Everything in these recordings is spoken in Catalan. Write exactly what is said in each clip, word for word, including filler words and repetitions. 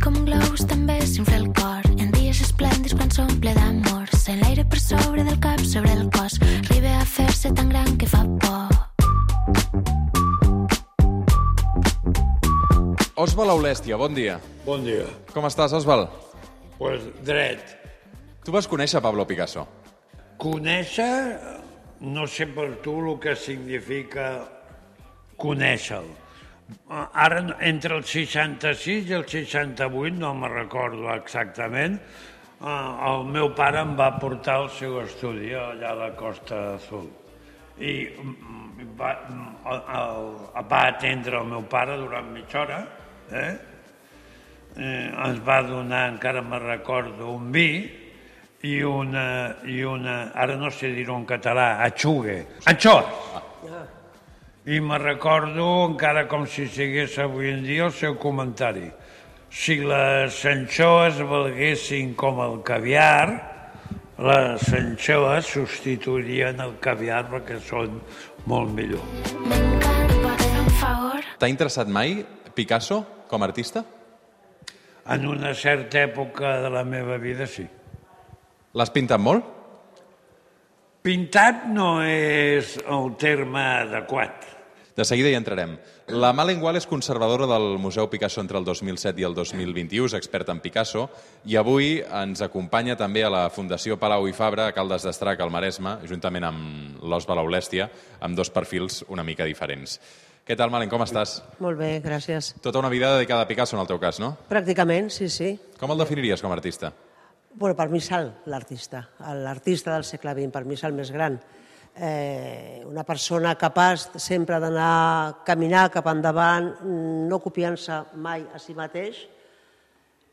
com un globus també s'infla el cor. En dies esplèndids quan s'omple d'amor. Sent l'aire per sobre del cap, sobre el cos. Arriba a fer-se tan gran que fa por. Òsbald Aulèstia, bon dia. Bon dia. Com estàs, Òsbald? Pues dret. Tu vas conèixer Pablo Picasso? Conèixer, no sé per tu el que significa conèixer-lo. Ara, entre el seixanta-sis i el seixanta-vuit, no me'n recordo exactament, el meu pare em va portar al seu estudi allà a la Costa Azul. I va, va atendre el meu pare durant mitja hora, eh? Eh, ens va donar, encara me'n recordo, un vi i una, i una, ara no sé dir-ho en català, atxugue, anxoes. Ah. I me'n recordo, encara com si sigués avui en dia, el seu comentari. Si les anxoes valguessin com el caviar, les anxoes substituirien el caviar perquè són molt millor. T'ha interessat mai Picasso com a artista? En una certa època de la meva vida, sí. L'has pintat molt? Pintat no és el terme adequat. De seguida hi entrarem. La Malen Gual és conservadora del Museu Picasso entre el dos mil set i el dos mil vint-i-u, és experta en Picasso, i avui ens acompanya també a la Fundació Palau i Fabra, a Caldes d'Estrac, al Maresme, juntament amb l'Òsbald Aulèstia, amb dos perfils una mica diferents. Què tal, Malen, com estàs? Molt bé, gràcies. Tota una vida dedicada a Picasso, en el teu cas, no? Pràcticament, sí, sí. Com el definiries com a artista? Bueno, per mi és l'artista, l'artista del segle vint, per mi és el més gran. Eh, una persona capaç sempre d'anar a caminar cap endavant, no copiant-se mai a si mateix,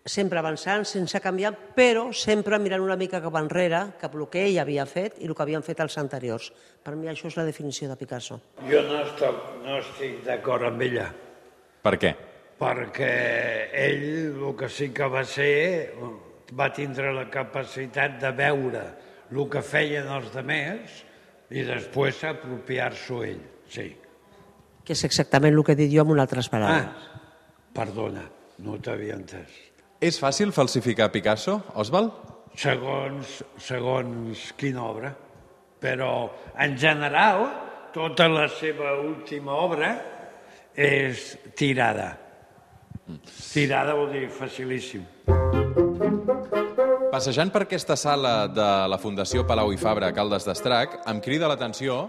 sempre avançant, sense canviar, però sempre mirant una mica cap enrere, cap el que ell havia fet i el que havien fet els anteriors. Per mi això és la definició de Picasso. Jo no estic, no estic d'acord amb ella. Per què? Perquè ell el que sí que va ser, va tindre la capacitat de veure el que feien els altres i després apropiar-s'ho ell, sí. Que és exactament el que he dit jo amb unes altres paraules. Ah, perdona, no t'havia entès. És fàcil falsificar Picasso, Òsbald? Segons, segons quina obra. Però, en general, tota la seva última obra és tirada. Tirada vol dir facilíssim. Passejant per aquesta sala de la Fundació Palau i Fabra a Caldes d'Estrac, em crida l'atenció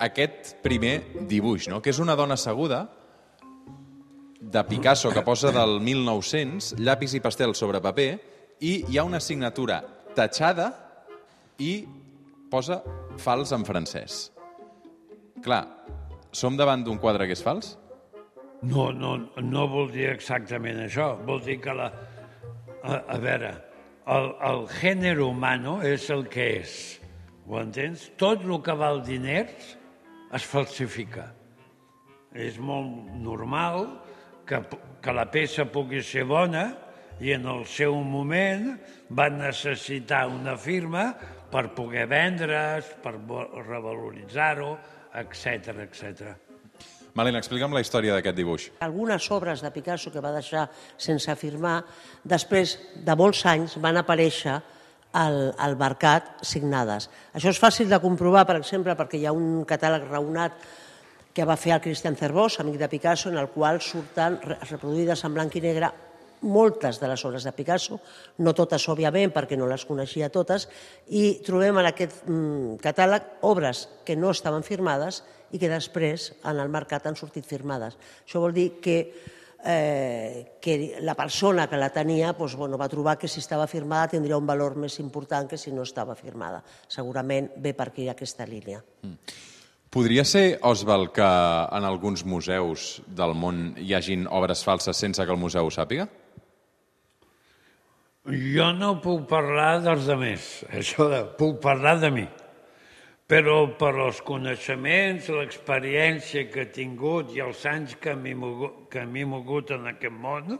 aquest primer dibuix, no? Que és una dona asseguda de Picasso que posa del mil nou-cents, llapis i pastel sobre paper, i hi ha una signatura tatxada i posa fals en francès. Clar, som davant d'un quadre que és fals? No, no, no vol dir exactament això. Vol dir que la... A, a veure, el, el gènere humano és el que és. Ho entens? Tot el que val diners es falsifica. És molt normal que, que la peça pugui ser bona i en el seu moment van necessitar una firma per poder vendre's, per revaloritzar-ho, etcètera, etcètera. Malena, explica'm la història d'aquest dibuix. Algunes obres de Picasso que va deixar sense firmar, després de molts anys van aparèixer al, al mercat signades. Això és fàcil de comprovar, per exemple, perquè hi ha un catàleg raonat que va fer el Christian Cerbós, amic de Picasso, en el qual surten reproduïdes en blanc i negre moltes de les obres de Picasso, no totes, òbviament, perquè no les coneixia totes, i trobem en aquest catàleg obres que no estaven firmades i que després en el mercat han sortit firmades. Això vol dir que, eh, que la persona que la tenia doncs, bueno, va trobar que si estava firmada tindria un valor més important que si no estava firmada. Segurament ve per aquí aquesta línia. Mm. Podria ser, Òsbald, que en alguns museus del món hi hagin obres falses sense que el museu ho sàpiga? Jo no puc parlar dels altres, això de, puc parlar de mi. Però per als coneixements, l'experiència que he tingut i els anys que m'he mogut, que m'he mogut en aquest món,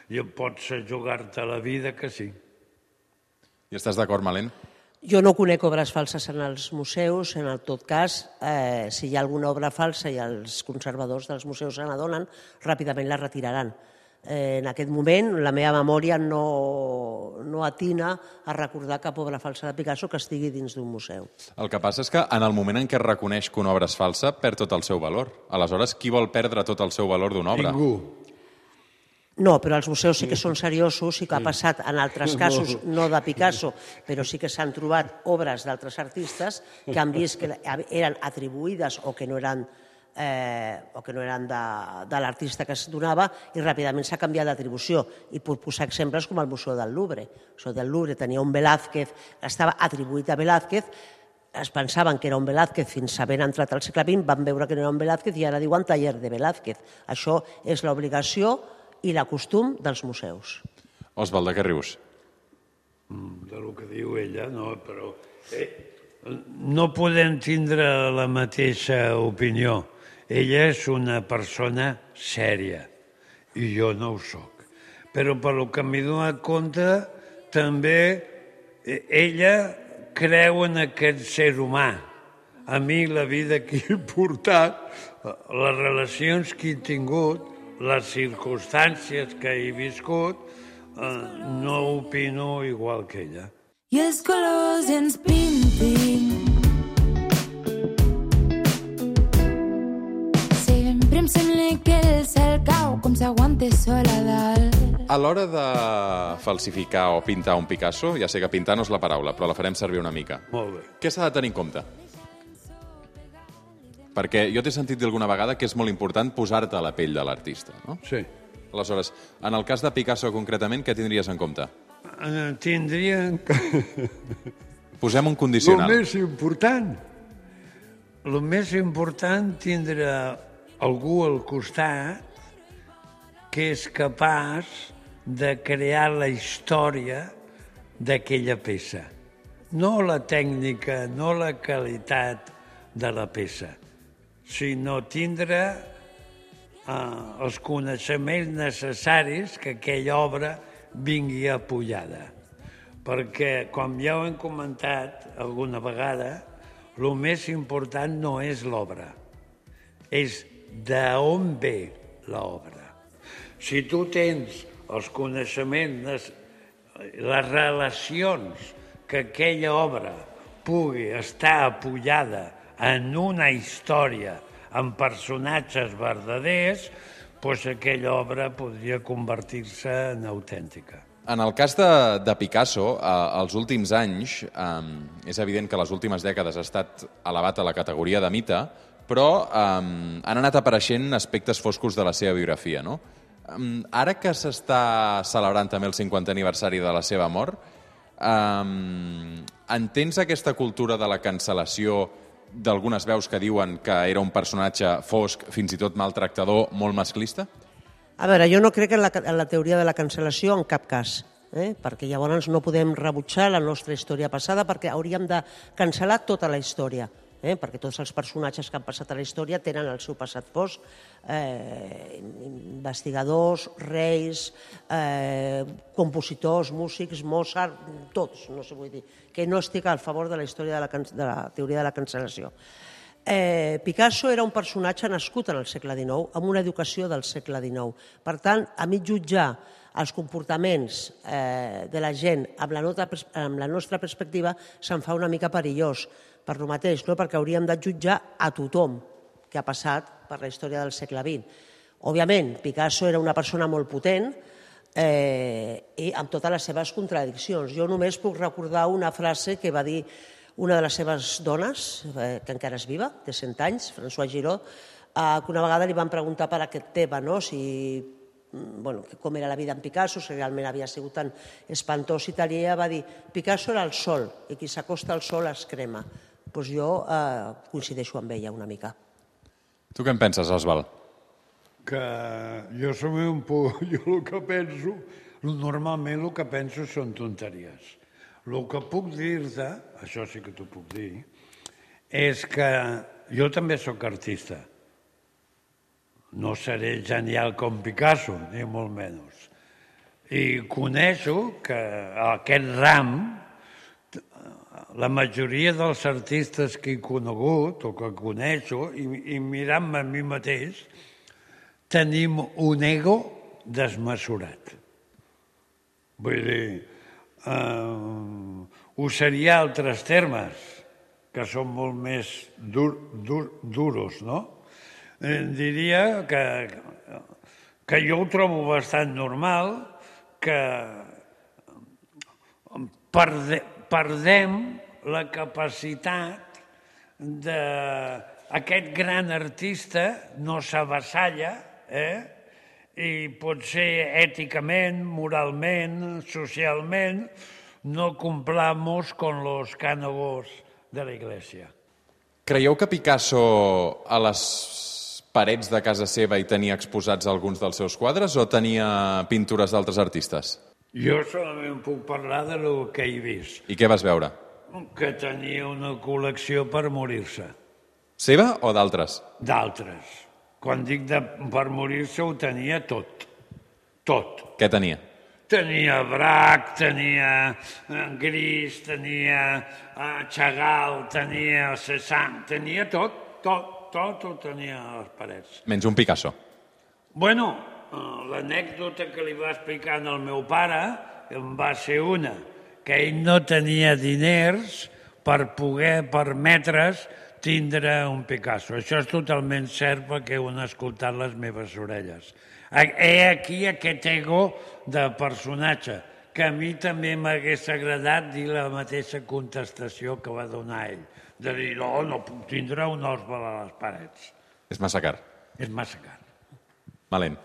jo pots jugar-te la vida que sí. I estàs d'acord, Malen? Jo no conec obres falses en els museus, en el tot cas, eh, si hi ha alguna obra falsa i els conservadors dels museus se n'adonen, ràpidament la retiraran. Eh, en aquest moment la meva memòria no, no atina a recordar cap obra falsa de Picasso que estigui dins d'un museu. El que passa és que en el moment en què es reconeix que una obra és falsa, perd tot el seu valor. Aleshores, qui vol perdre tot el seu valor d'una obra? Ningú. No, però els museus sí que són seriosos, sí que ha passat en altres casos, no de Picasso, però sí que s'han trobat obres d'altres artistes que han vist que eren atribuïdes o que no eren Eh, o que no eren de, de l'artista que es donava i ràpidament s'ha canviat d'atribució. I puc posar exemples com el Museu del Louvre. El Museu del Louvre tenia un Velázquez, estava atribuït a Velázquez, es pensaven que era un Velázquez fins a haver entrat al segle vint, van veure que no era un Velázquez i ara diuen taller de Velázquez. Això és l'obligació i la costum dels museus. Osvaldo, de què rius? De lo que diu ella, no, però eh, no podem tindre la mateixa opinió. Ella és una persona sèria i jo no ho soc. Però per lo que m'he donat compte, també ella creu en aquest ser humà. A mi la vida que he portat, les relacions que he tingut, les circumstàncies que he viscut, no opino igual que ella. I els colors ens pintin. Sempre em sembla que el cel cau com s'aguanta sol a dalt. A l'hora de falsificar o pintar un Picasso, ja sé que pintar no és la paraula, però la farem servir una mica. Molt bé. Què s'ha de tenir en compte? Perquè jo t'he sentit dir alguna vegada que és molt important posar-te a la pell de l'artista, no? Sí. Aleshores, en el cas de Picasso concretament, què tindries en compte? Tindrien que... Posem un condicional. El més important, el més important tindre algú al costat que és capaç de crear la història d'aquella peça. No la tècnica, no la qualitat de la peça, sinó tindre eh, els coneixements necessaris que aquella obra vingui apoyada. Perquè, com ja ho hem comentat alguna vegada, el més important no és l'obra, és d'on ve l'obra. Si tu tens els coneixements, les relacions que aquella obra pugui estar apoyada en una història, en personatges verdaders, doncs aquella obra podria convertir-se en autèntica. En el cas de, de Picasso, eh, els últims anys, eh, és evident que les últimes dècades ha estat elevat a la categoria de mite, però eh, han anat apareixent aspectes foscos de la seva biografia, no? Eh, ara que s'està celebrant també el cinquantè aniversari de la seva mort, eh, entens aquesta cultura de la cancel·lació d'algunes veus que diuen que era un personatge fosc, fins i tot maltractador, molt masclista? A veure, jo no crec en la, en la teoria de la cancel·lació en cap cas, eh? perquè llavors no podem rebutjar la nostra història passada perquè hauríem de cancel·lar tota la història, eh? perquè tots els personatges que han passat a la història tenen el seu passat fosc, eh, investigadors, reis, eh, compositors, músics, Mozart, tots, no sé, vull dir, que no estic a favor de la història de la, de la teoria de la cancel·lació. Eh, Picasso era un personatge nascut en el segle dinou, amb una educació del segle dinou. Per tant, a mi jutjar els comportaments eh, de la gent amb la, nota, amb la nostra perspectiva se'n fa una mica perillós. Per lo mateix, no? Perquè hauríem de jutjar a tothom que ha passat per la història del segle vint. Òbviament, Picasso era una persona molt potent eh, i amb totes les seves contradiccions. Jo només puc recordar una frase que va dir una de les seves dones, eh, que encara és viva, de cent anys, François Giraud, eh, que una vegada li van preguntar per aquest tema, no? si, bueno, com era la vida en Picasso, si realment havia sigut tan espantós i tal, i ella va dir Picasso era el sol, i qui s'acosta al sol es crema. Doncs jo eh, coincideixo amb ella una mica. Tu què en penses, Osvald? Que jo som un poc... Jo el que penso, normalment el que penso són tonteries. El que puc dir-te, això sí que t'ho puc dir, és que jo també sóc artista. No seré genial com Picasso, ni molt menys. I coneixo que aquest ram, la majoria dels artistes que he conegut o que coneixo, i, i mirant-me a mi mateix, tenim un ego desmesurat. Vull dir, eh, usaria altres termes, que són molt més dur, dur, duros, no? Eh, diria que, que jo ho trobo bastant normal, que perde, perdem la capacitat d'aquest gran artista no s'avassalla, eh? I potser èticament, moralment, socialment, no cumplamos con los cánogos de la Iglesia. Creieu que Picasso a les parets de casa seva hi tenia exposats alguns dels seus quadres o tenia pintures d'altres artistes? Jo solament puc parlar de lo que he vist. I què vas veure? Que tenia una col·lecció per morir-se. Seva o d'altres? D'altres. Quan dic de, per morir-se ho tenia tot. Tot. Què tenia? Tenia Braque, tenia Gris, tenia Chagall, tenia Cézanne, tenia tot, tot, tot ho tenia a les parets. Menys un Picasso. Bueno, l'anècdota que li va explicar al meu pare em va ser una, que ell no tenia diners per poder permetre's tindre un Picasso. Això és totalment cert perquè ho han escoltat les meves orelles. He aquí aquest ego de personatge, que a mi també m'hagués agradat dir la mateixa contestació que va donar ell, de dir, no, no puc tindre un òsbal a les parets. És massa car. És massa car. Malent.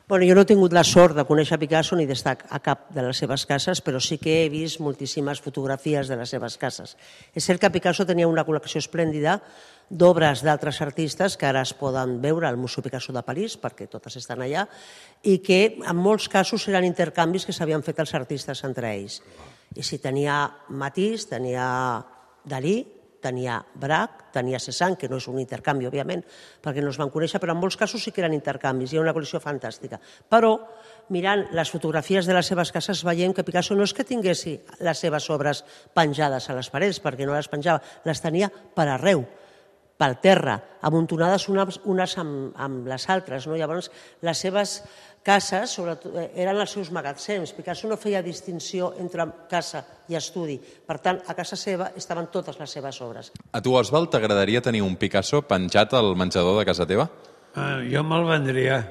Bueno, jo no he tingut la sort de conèixer Picasso ni d'estar a cap de les seves cases, però sí que he vist moltíssimes fotografies de les seves cases. És cert que Picasso tenia una col·lecció esplèndida d'obres d'altres artistes que ara es poden veure al Museu Picasso de París, perquè totes estan allà, i que en molts casos eren intercanvis que s'havien fet els artistes entre ells. I si tenia Matisse, tenia Dalí, tenia Braque, tenia Cézanne, que no és un intercanvi, òbviament, perquè no es van conèixer, però en molts casos sí que eren intercanvis, hi ha una col·lecció fantàstica. Però, mirant les fotografies de les seves cases, veiem que Picasso no és que tinguessi les seves obres penjades a les parets, perquè no les penjava, les tenia per arreu, pel terra, amuntonades unes, unes amb, amb les altres. No? Llavors, les seves cases sobretot, eren els seus magatzems. Picasso no feia distinció entre casa i estudi. Per tant, a casa seva estaven totes les seves obres. A tu, Oswald, t'agradaria tenir un Picasso penjat al menjador de casa teva? Uh, jo me'l vendria,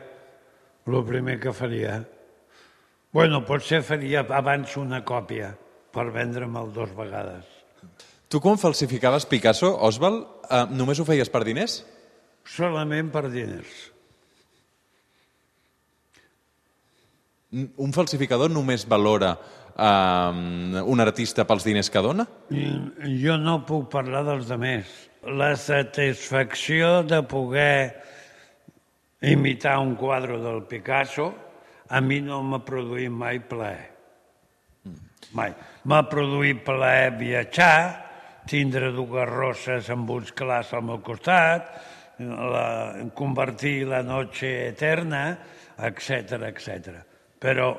el primer que faria. Bueno, potser faria abans una còpia per vendre'me'l dues vegades. Tu, quan falsificaves Picasso, Oswald, eh, només ho feies per diners? Solament per diners. Un falsificador només valora eh, un artista pels diners que dona? Jo no puc parlar dels demés. La satisfacció de poder imitar un quadre del Picasso a mi no m'ha produït mai plaer. Mai. M'ha produït plaer viatjar, tindre dues roses amb uns clars al meu costat, la, convertir la noche eterna, etcètera, etcètera. Però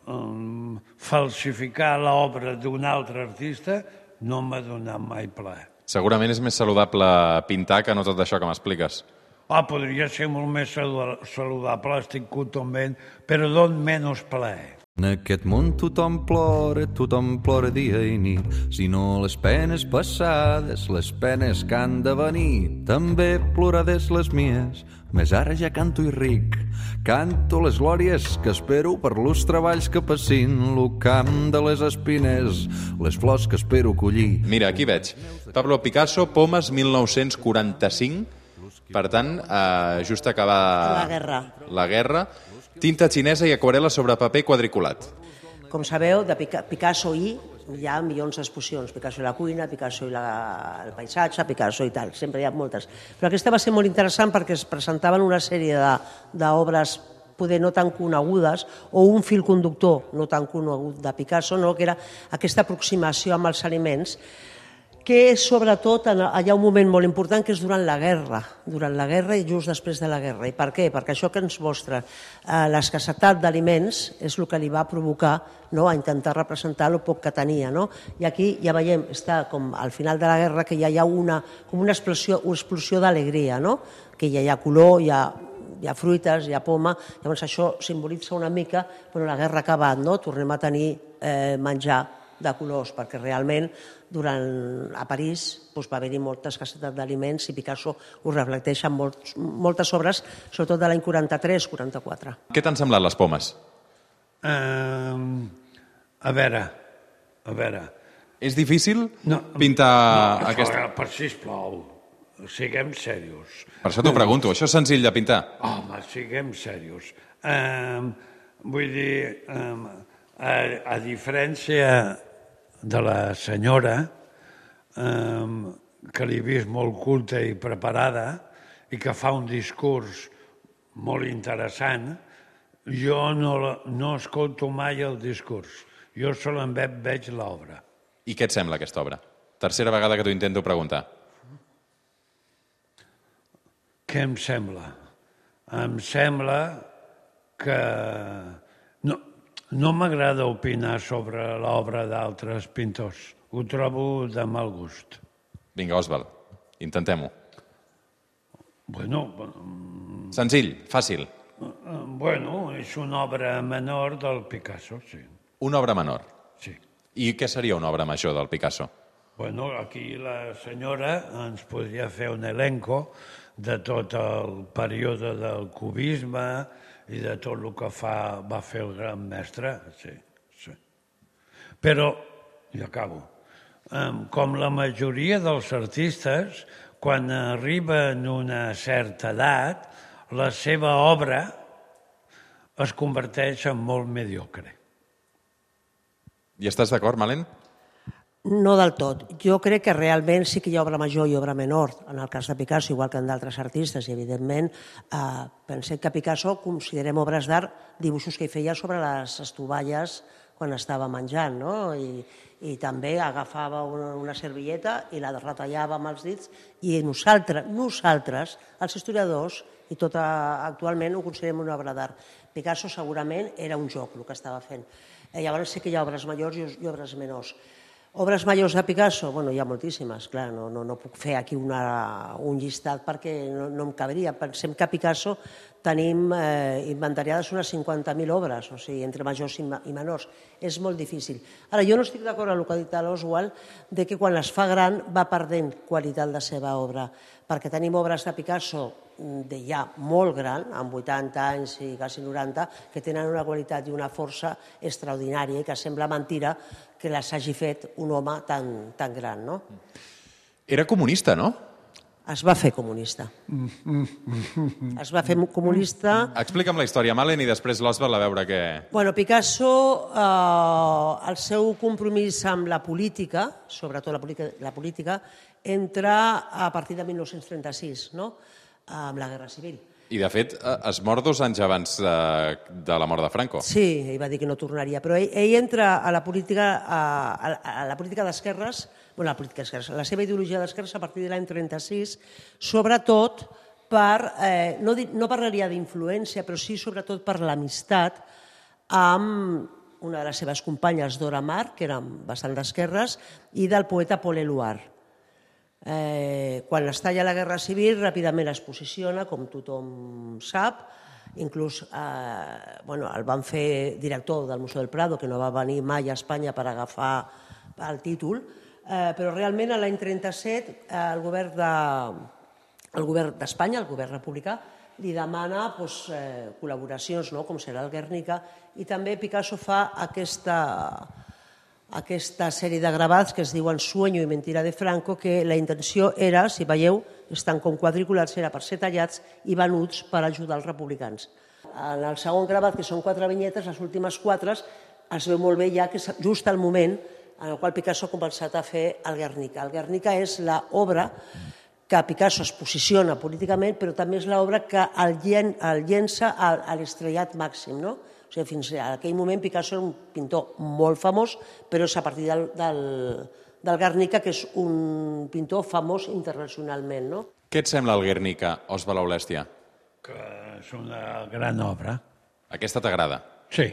um, falsificar l'obra d'un altre artista no m'ha donat mai plaer. Segurament és més saludable pintar que no tot això que m'expliques. Ah, podria ser molt més saludable, estic totalment, però don menys plaer. En aquest món tothom plora, tothom plora dia i nit. Si no les penes passades, les penes que han de venir. També plorades les mies, més ara ja canto i ric. Canto les glòries que espero per los treballs que passin, lo camp de les espines, les flors que espero collir. Mira, aquí veig. Pablo Picasso, Pomes, mil nou-cents quaranta-cinc. Per tant, eh, just acabar... La guerra. La guerra. Tinta xinesa i aquarel·la sobre paper quadriculat. Com sabeu, de Picasso i hi ha milions d'exposicions. Picasso i la cuina, Picasso i la, el paisatge, Picasso i tal. Sempre hi ha moltes. Però aquesta va ser molt interessant perquè es presentaven una sèrie d'obres poder no tan conegudes o un fil conductor no tan conegut de Picasso, no? Que era aquesta aproximació amb els aliments, que sobretot hi ha un moment molt important que és durant la guerra, durant la guerra i just després de la guerra. I per què? Perquè això que ens mostra eh, l'escassetat d'aliments és el que li va provocar no, a intentar representar el poc que tenia. No? I aquí ja veiem, està com al final de la guerra, que ja hi ha una, com una explosió, una explosió d'alegria, no? Que ja hi ha color, hi ha hi ha fruites, hi ha poma, llavors això simbolitza una mica bueno, la guerra ha acabat, no? Tornem a tenir eh, menjar de colors, perquè realment durant, a París doncs, va haver-hi molta escassetat d'aliments i Picasso ho reflecteix en molts, moltes obres, sobretot de l'any quaranta-tres quaranta-quatre. Què t'han semblat les pomes? Uh, a veure, a veure... És difícil no, pintar no, aquesta... No, per sisplau, siguem serios. Per això t'ho pregunto, això és senzill de pintar? Home, siguem serios. Uh, vull dir, uh, a, a diferència de la senyora, eh, que l'he vist molt culta i preparada i que fa un discurs molt interessant, jo no, no escolto mai el discurs. Jo solament veig l'obra. I què et sembla aquesta obra? Tercera vegada que t'ho intento preguntar. Què em sembla? Em sembla que... No, no m'agrada opinar sobre l'obra d'altres pintors. Ho trobo de mal gust. Vinga, Òsvald, intentem-ho. Bueno... Senzill, fàcil. Bueno, és una obra menor del Picasso, sí. Una obra menor? Sí. I què seria una obra major del Picasso? Bueno, aquí la senyora ens podria fer un elenco de tot el període del cubisme i de tot el que fa, va fer el gran mestre, sí, sí. Però, i acabo, com la majoria dels artistes, quan arriben a una certa edat, la seva obra es converteix en molt mediocre. I estàs d'acord, Malen? No del tot. Jo crec que realment sí que hi ha obra major i obra menor, en el cas de Picasso, igual que en d'altres artistes, i evidentment eh, pensem que Picasso considerem obres d'art dibuixos que hi feia sobre les estovalles quan estava menjant, no? I, i també agafava una, una servilleta i la retallava amb els dits i nosaltres, nosaltres, els historiadors, i tot actualment ho considerem una obra d'art. Picasso segurament era un joc el que estava fent. Eh, llavors sí que hi ha obres majors i, i obres menors. Obres majors de Picasso? Bueno, hi ha moltíssimes, clar, no, no, no puc fer aquí una, un llistat perquè no, no em caberia. Pensem que a Picasso tenim eh, inventariades unes cinquanta mil obres, o sigui, entre majors i, i menors. És molt difícil. Ara, jo no estic d'acord amb el que ha dit l'Oswald de que quan es fa gran va perdent qualitat la seva obra, perquè tenim obres de Picasso de ja molt gran, amb vuitanta anys i quasi noranta, que tenen una qualitat i una força extraordinària i que sembla mentira que les hagi fet un home tan, tan gran, no? Era comunista, no? Es va fer comunista. Es va fer comunista... Explica'm la història, Malen, i després l'Òsvald a veure què... Bueno, Picasso, eh, el seu compromís amb la política, sobretot la política, la política, entra a partir de mil nou-cents trenta-sis, no?, amb la Guerra Civil. I, de fet, es mor dos anys abans de, de la mort de Franco. Sí, ell va dir que no tornaria, però ell, ell entra a la política, a, a la política d'esquerres, bueno, la política d'esquerres, la seva ideologia d'esquerres a partir de l'any trenta-sis, sobretot per, eh, no, no parlaria d'influència, però sí sobretot per l'amistat amb una de les seves companyes, Dora Maar, que eren bastant d'esquerres, i del poeta Paul Éluard. Eh, quan es talla la Guerra Civil, ràpidament es posiciona, com tothom sap, inclús eh, bueno, el van fer director del Museu del Prado, que no va venir mai a Espanya per agafar el títol, eh, però realment l'any trenta-set eh, el govern de, el govern d'Espanya, el govern republicà, li demana doncs, eh, col·laboracions, no?, com serà el Guernica, i també Picasso fa aquesta... aquesta sèrie de gravats que es diuen Sueño i Mentira de Franco, que la intenció era, si veieu, estan com quadriculats, era per ser tallats i venuts per ajudar els republicans. En el segon gravat, que són quatre vinyetes, les últimes quatre, es veu molt bé ja que és just el moment en el qual Picasso ha començat a fer el Guernica. El Guernica és l'obra que Picasso es posiciona políticament, però també és l'obra que el llença a l'estrellat màxim, no? O sigui, fins a aquell moment Picasso era un pintor molt famós, però és a partir del, del, del Guernica, que és un pintor famós internacionalment, no? Què et sembla el Guernica, Òsvald Aulèstia? Que és una gran obra. Aquesta t'agrada? Sí.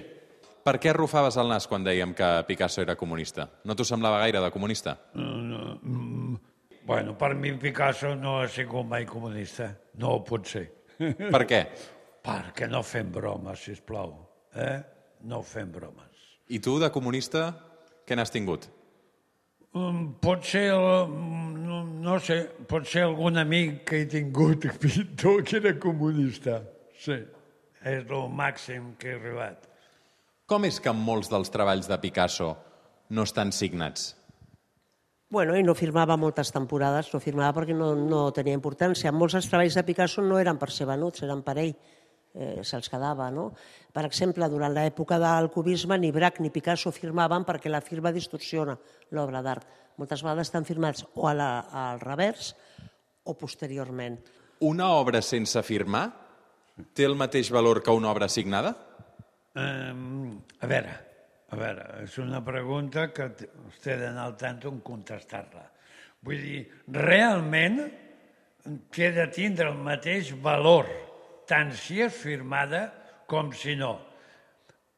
Per què arrufaves el nas quan dèiem que Picasso era comunista? No t'ho semblava gaire de comunista? No, no, bueno, per mi Picasso no ha sigut mai comunista. No ho pot ser. Per què? Perquè no fem bromes, sisplau. Eh? No fem bromes. I tu, de comunista, què n'has tingut? Um, pot ser, el, no, no sé, pot ser algun amic que he tingut pintor que era comunista. Sí, és el màxim que he arribat. Com és que molts dels treballs de Picasso no estan signats? Bueno, i no firmava moltes temporades, no firmava perquè no, no tenia importància. Molts dels treballs de Picasso no eren per ser venuts, eren per ell, eh, se'ls quedava, no? Per exemple, durant l'època del cubisme, ni Braque ni Picasso firmaven perquè la firma distorsiona l'obra d'art. Moltes vegades estan firmats o a la, al revers o posteriorment. Una obra sense firmar té el mateix valor que una obra signada? Um, a veure... A veure, és una pregunta que us he d'anar al tanto en contestar-la. Vull dir, realment té de tindre el mateix valor, tant si és firmada com si no.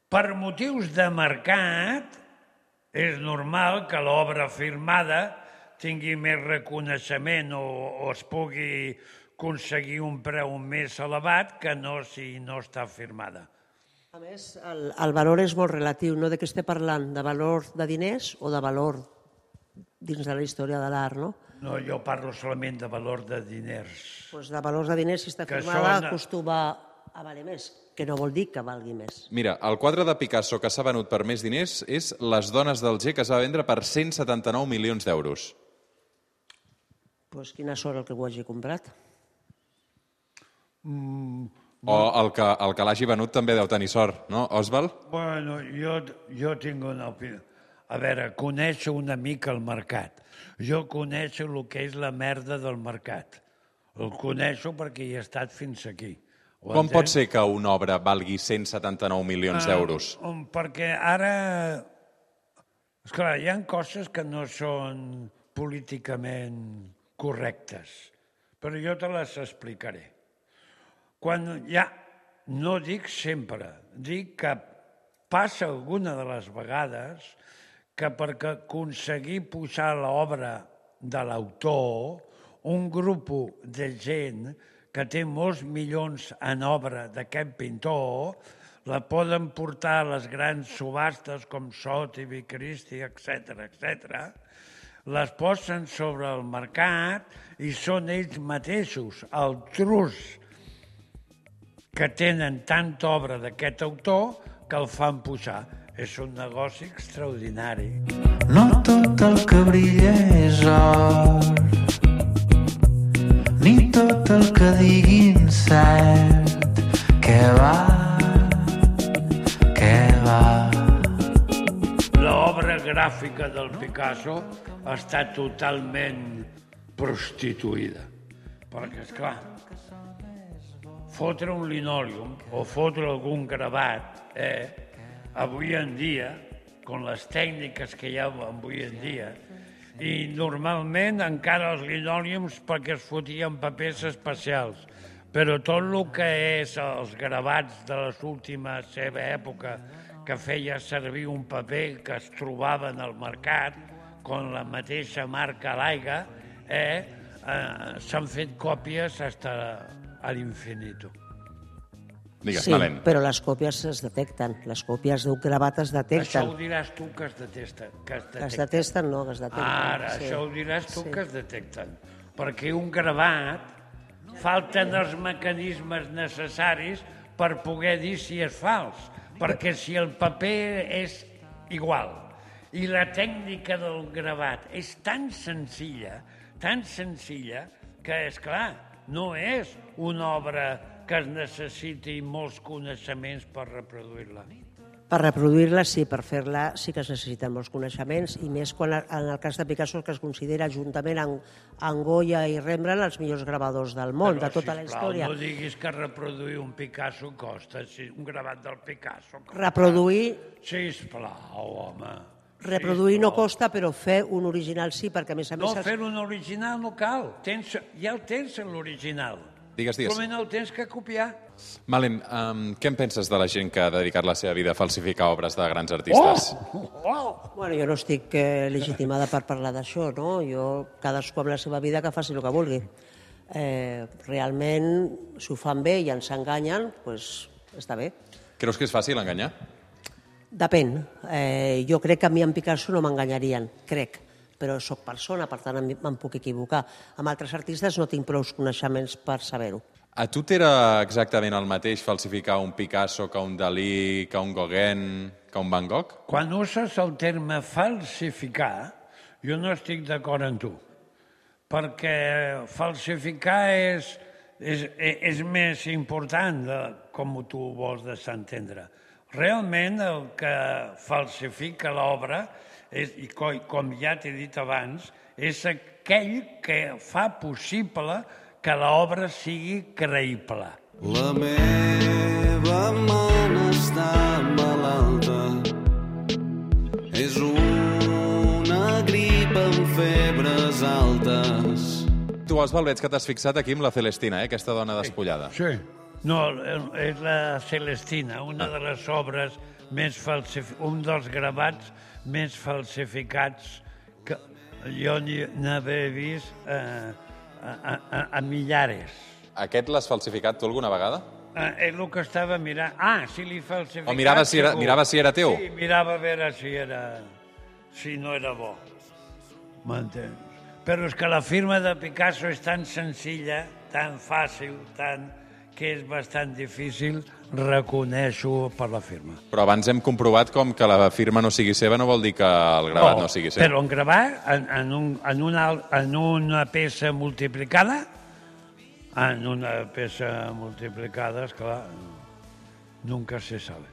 Per motius de mercat, és normal que l'obra firmada tingui més reconeixement o, o es pugui aconseguir un preu més elevat que no si no està firmada. A més, el, el valor és molt relatiu, no? De què estem parlant? De valor de diners o de valor dins de la història de l'art, no? No, jo parlo solament de valor de diners. Doncs de valors de diners, si està Que firmada, són- acostuma a valer més, que no vol dir que valgui més. Mira, el quadre de Picasso que s'ha venut per més diners és Les dones del G, que es va vendre per cent setanta-nou milions d'euros. Doncs quina sort el que ho hagi comprat. O el que, el que l'hagi venut també deu tenir sort, no, Oswald? Bueno, jo, jo tinc una opinió. A veure, conèixer una mica el mercat. Jo coneixo el que és la merda del mercat. El coneixo perquè hi he estat fins aquí. Ho Com pot entens? ser que una obra valgui cent setanta-nou milions d'euros? Ah, perquè ara... Esclar, hi ha coses que no són políticament correctes, però jo te les explicaré. Quan ja, no dic sempre, dic que passa alguna de les vegades que perquè aconseguir pujar l'obra de l'autor, un grup de gent que té molts milions en obra d'aquest pintor, la poden portar a les grans subhastes com Sotheby, Christie, etcètera, etcètera, les posen sobre el mercat i són ells mateixos, el trus que tenen tanta obra d'aquest autor que el fan pujar. És un negoci extraordinari. No tot el que brilla és or, ni tot el que diguin cert. Què va, què va. L'obra gràfica del Picasso està totalment prostituïda. Perquè, esclar, fotre un linòleum o fotre algun gravat, eh, avui en dia, amb les tècniques que hi ha avui en dia, i normalment encara els linòleums perquè es fotien papers especials, però tot el que és els gravats de les últimes seva època, que feia servir un paper que es trobava en el mercat, con la mateixa marca Laiga, eh, eh, s'han fet còpies fins a l'infinito. Digues, Sí, Malén. però les còpies es detecten. Les còpies d'un gravat es Això detecten. ho diràs tu que es detesta. Que es Que es detecta. detesten, no, que es detecten. Ara, sí. això ho diràs tu Sí. que es detecten. Perquè un gravat falten els mecanismes necessaris per poder dir si és fals. Perquè si el paper és igual i la tècnica del gravat és tan senzilla, tan senzilla, que, és clar, no és una obra que es necessiti molts coneixements per reproduir-la. Per reproduir-la, sí, per fer-la sí que es necessiten molts coneixements, i més quan en el cas de Picasso que es considera juntament amb, amb Goya i Rembrandt els millors gravadors del món, de tota la sisplau, història. no diguis que reproduir un Picasso costa, si un gravat del Picasso costa. Reproduir, Sisplau, home. reproduir no Sisplau. costa, però fer un original sí, perquè a més a No, més... els- fer un original no cal. Tens, ja el tens, l'original. Digues, digues. Solament el tens que copiar. Malén, um, què en penses de la gent que ha dedicat la seva vida a falsificar obres de grans artistes? Oh! Oh! Bueno, jo no estic eh, legitimada per parlar d'això, no? Jo, cadascú amb la seva vida que faci el que vulgui. Eh, realment, si ho fan bé i ens enganyen, doncs està bé. Creus que és fàcil enganyar? Depèn. Eh, jo crec que a mi en Picasso no m'enganyarien, crec, però sóc persona, per tant me'n puc equivocar. Amb altres artistes no tinc prou coneixements per saber-ho. A tu t'era exactament el mateix falsificar un Picasso que un Dalí, que un Gauguin, que un Van Gogh? Quan uses el terme falsificar, jo no estic d'acord amb tu, perquè falsificar és, és, és més important de com tu vols desentendre. Realment el que falsifica l'obra, és, i com ja t'he dit abans, és aquell que fa possible que l'obra sigui creïble. La meva mana està malalta, és una grip amb febres altes. Tu, Òsvald, veig que t'has fixat aquí amb la Celestina, eh? Aquesta dona despullada. Sí. No, és la Celestina, una de les obres més falsificades, un dels gravats més falsificats que jo n'havia vist eh, a, a, a millares. Aquest l'has falsificat tu alguna vegada? Eh, és el que estava mirant. Ah, si li falsificat... O mirava si era, mirava si era teu? Sí, mirava a veure si era... si no era bo. M'entens? Però és que la firma de Picasso és tan senzilla, tan fàcil, tan... que és bastant difícil reconèixer-ho per la firma. Però abans hem comprovat com que la firma no sigui seva no vol dir que el gravat no, no sigui seu. Però en gravar, en, en, un, en, una, en una peça multiplicada, en una peça multiplicada, esclar, nunca se sabe.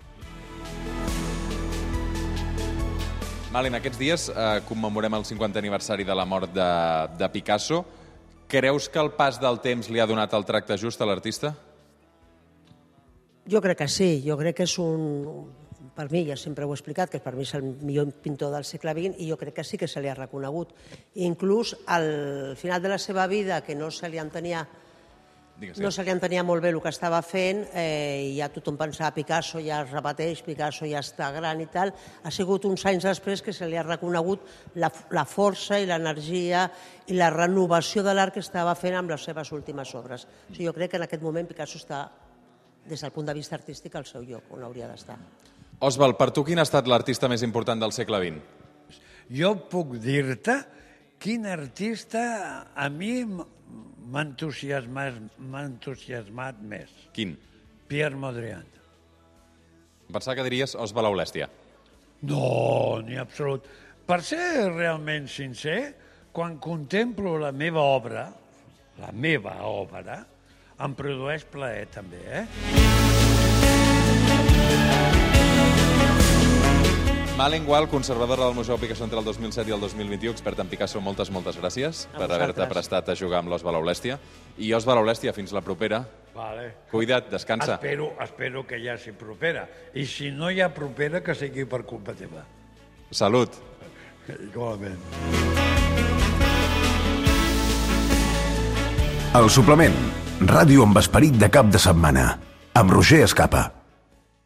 Malin, aquests dies eh, commemorem el cinquantè aniversari de la mort de, de Picasso. Creus que el pas del temps li ha donat el tracte just a l'artista? Jo crec que sí, jo crec que és un... Per mi, ja sempre ho he explicat, que per mi és el millor pintor del segle vint i jo crec que sí que se li ha reconegut. Inclús al final de la seva vida, que no se li entenia, no se li entenia molt bé el que estava fent, eh, i ja tothom pensava Picasso ja es repeteix, Picasso ja està gran i tal, ha sigut uns anys després que se li ha reconegut la, la força i l'energia i la renovació de l'art que estava fent amb les seves últimes obres. O sigui, jo crec que en aquest moment Picasso està, des del punt de vista artístic, al seu lloc, on hauria d'estar. Òsvald, per tu quin ha estat l'artista més important del segle vint? Jo puc dir-te quin artista a mi m'ha entusiasmat, m'ha entusiasmat més. Quin? Pierre Mondrian. Pensava que diries Òsvald Aulèstia. No, ni absolut. Per ser realment sincer, quan contemplo la meva obra, la meva obra, em produeix plaer també, eh? Malin Gual, conservadora del Museu Picasso entre el dos mil set i el dos mil vint-i-u, expert en Picasso, moltes, moltes gràcies per haver-te prestat a jugar amb l'Òsvald Aulèstia. I Òsvald Aulèstia, fins la propera. Vale. Cuida't, descansa. Espero, espero que hi hagi propera. I si no hi ha propera, que sigui per culpa teva. Salut. Igualment. El suplement. Ràdio amb esperit de cap de setmana. Amb Roger Escapa.